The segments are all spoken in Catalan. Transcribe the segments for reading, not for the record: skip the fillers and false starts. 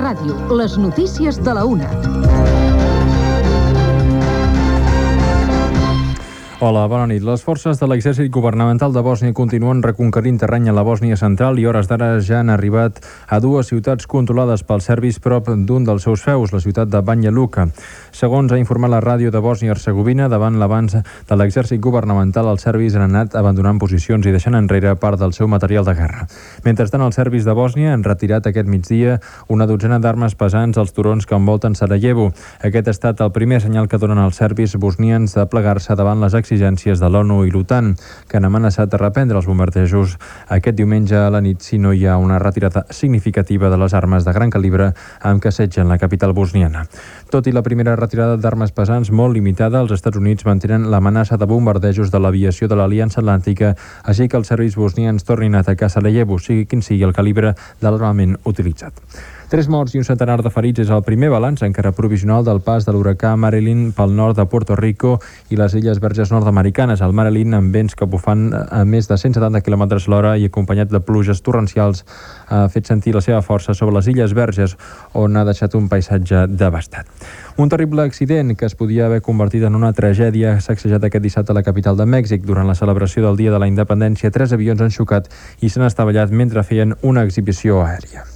Ràdio, les notícies de la 1. Hola, bona nit. Les forces de l'exèrcit governamental de Bòsnia continuen reconquerint terreny a la Bòsnia central i hores d'ara ja han arribat a 2 ciutats controlades pels serbis prop d'un dels seus feus, la ciutat de Banja Luka. Segons ha informat la ràdio de Bòsnia-Hercegovina, davant l'avanç de l'exèrcit governamental, els serbis han anat abandonant posicions i deixant enrere part del seu material de guerra. Mentrestant, els serbis de Bòsnia han retirat aquest migdia una dotzena d'armes pesants als turons que envolten Sarajevo. Aquest ha estat el primer senyal que donen els serbis bosnians de plegar-se davant les exigències de l'ONU i l'OTAN, que han amenaçat de reprendre els bombardejos aquest diumenge a la nit si no hi ha una retirada significativa de les armes de gran calibre amb què assetgen la capital bosniana. Tot i la primera retirada d'armes pesants molt limitada, els Estats Units mantenen l'amenaça de bombardejos de l'aviació de l'Aliança Atlàntica, així que els serbis bosnians tornin a atacar Sarajevo, sigui quin sigui el calibre de l'armament utilitzat. 3 morts i un centenar de ferits és el primer balanç encara provisional del pas de l'huracà Marilyn pel nord de Puerto Rico i les Illes Verges nord-americanes. El Marilyn, amb vents que bufant a més de 170 km a l'hora i acompanyat de pluges torrencials, ha fet sentir la seva força sobre les Illes Verges, on ha deixat un paisatge devastat. Un terrible accident que es podia haver convertit en una tragèdia ha sacsejat aquest dissabte a la capital de Mèxic. Durant la celebració del Dia de la Independència, 3 avions han xocat i s'han estavellat mentre feien una exhibició aèria.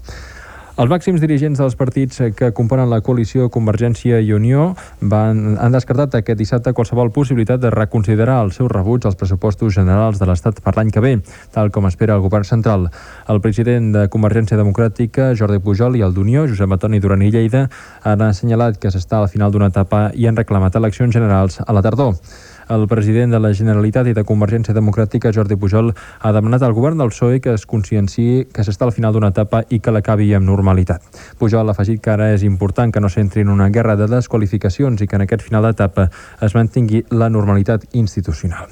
Els màxims dirigents dels partits que componen la coalició Convergència i Unió han descartat aquest dissabte qualsevol possibilitat de reconsiderar el seu rebuig als pressupostos generals de l'Estat per l'any que ve, tal com espera el govern central. El president de Convergència Democràtica, Jordi Pujol, i el d'Unió, Josep Antoni Duran i Lleida, han assenyalat que s'està al final d'una etapa i han reclamat eleccions generals a la tardor. El president de la Generalitat i de Convergència Democràtica, Jordi Pujol, ha demanat al govern del PSOE que es conscienciï que s'està al final d'una etapa i que l'acabi amb normalitat. Pujol ha afegit que ara és important que no s'entri en una guerra de desqualificacions i que en aquest final d'etapa es mantingui la normalitat institucional.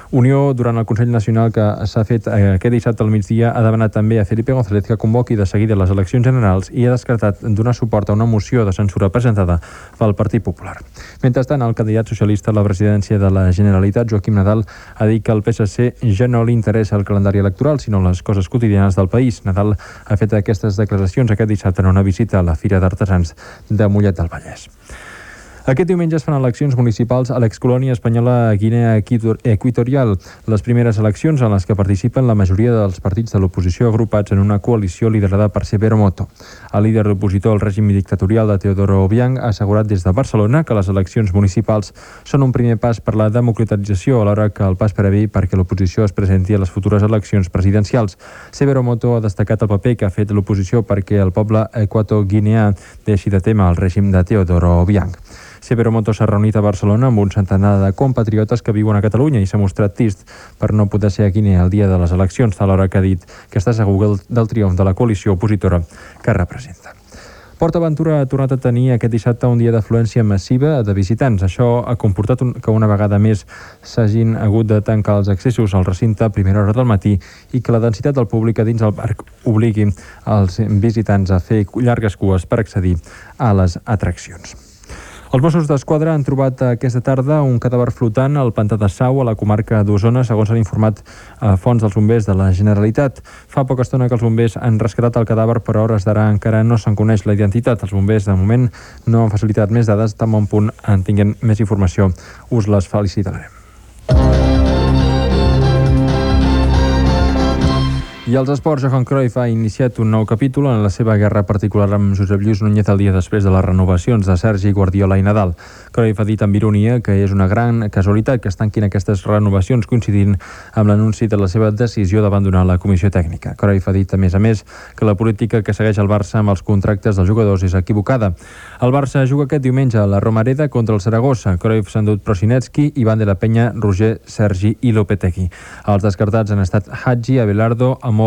Unió, durant el Consell Nacional que s'ha fet aquest dissabte al migdia, ha demanat també a Felipe González que convoqui de seguida les eleccions generals i ha descartat donar suport a una moció de censura presentada pel Partit Popular. Mentrestant, el candidat socialista a la presidència de la Generalitat, Joaquim Nadal, ha dit que al PSC ja no li interessa el calendari electoral, sinó les coses quotidianes del país. Nadal ha fet aquestes declaracions aquest dissabte en una visita a la Fira d'Artesans de Mollet del Vallès. Aquest diumenge es fan eleccions municipals a l'excolònia espanyola Guinea Equatorial, les primeres eleccions en les que participen la majoria dels partits de l'oposició agrupats en una coalició liderada per Severo Moto. El líder opositor al règim dictatorial de Teodoro Obiang ha assegurat des de Barcelona que les eleccions municipals són un primer pas per la democratització, alhora que el pas previ perquè l'oposició es presenti a les futures eleccions presidencials. Severo Moto ha destacat el paper que ha fet l'oposició perquè el poble equatoguineà deixi de témer el règim de Teodoro Obiang. Severo Moto s'ha reunit a Barcelona amb un centenar de compatriotes que viuen a Catalunya i s'ha mostrat trist per no poder ser a Guinea el dia de les eleccions, alhora que ha dit que està segur del triomf de la coalició opositora que representa. PortAventura ha tornat a tenir aquest dissabte un dia d'afluència massiva de visitants. Això ha comportat que una vegada més s'hagin hagut de tancar els accessos al recinte a primera hora del matí i que la densitat del públic a dins del parc obligui els visitants a fer llargues cues per accedir a les atraccions. Els Mossos d'Esquadra han trobat aquesta tarda un cadàver flotant al pantà de Sau, a la comarca d'Osona, segons han informat fonts dels bombers de la Generalitat. Fa poca estona que els bombers han rescatat el cadàver, però a hores d'ara encara no se'n coneix la identitat. Els bombers, de moment, no han facilitat més dades. Tan bon punt en tinguem més informació, us les felicitarem. I als esports, Johan Cruyff ha iniciat un nou capítol en la seva guerra particular amb Josep Lluís Núñez el dia després de les renovacions de Sergi, Guardiola i Nadal. Cruyff ha dit amb ironia que és una gran casualitat que es tanquin aquestes renovacions coincidint amb l'anunci de la seva decisió d'abandonar la comissió tècnica. Cruyff ha dit, a més, que la política que segueix el Barça amb els contractes dels jugadors és equivocada. El Barça juga aquest diumenge a la Romareda contra el Saragossa. Cruyff s'ha endut Prosinecki, Ivan de la Peña, Roger, Sergi i Lopetegui. Els descartats han estat Hagi, Abelardo, Amor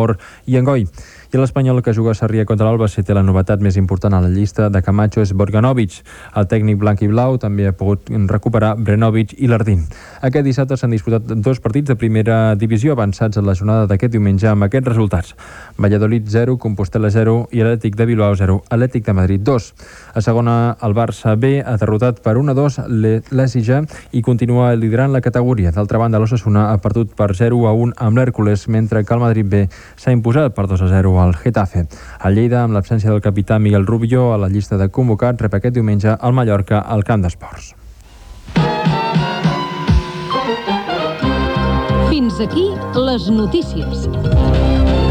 i Engoi. I l'Espanyol, que juga a Sarrià contra l'Albacete, la novetat més important a la llista de Camacho és Borganovic. El tècnic blanc i blau també ha pogut recuperar Brenovic i Lardín. Aquest dissabte s'han disputat 2 partits de primera divisió avançats a la jornada d'aquest diumenge amb aquests resultats: Valladolid 0, Compostela 0 i Atlètic de Bilbao 0, Atlètic de Madrid 2. A segona, el Barça B ha derrotat per 1-2 l'Ècija i continua liderant la categoria. D'altra banda, l'Osasuna ha perdut per 0-1 amb l'Hèrcules, mentre que el Madrid B s'ha imposat per 2-0 al Getafe. El Lleida, amb l'absència del capità Miguel Rubio a la llista de convocats, rep aquest diumenge al Mallorca al Camp d'Esports. Fins aquí les notícies.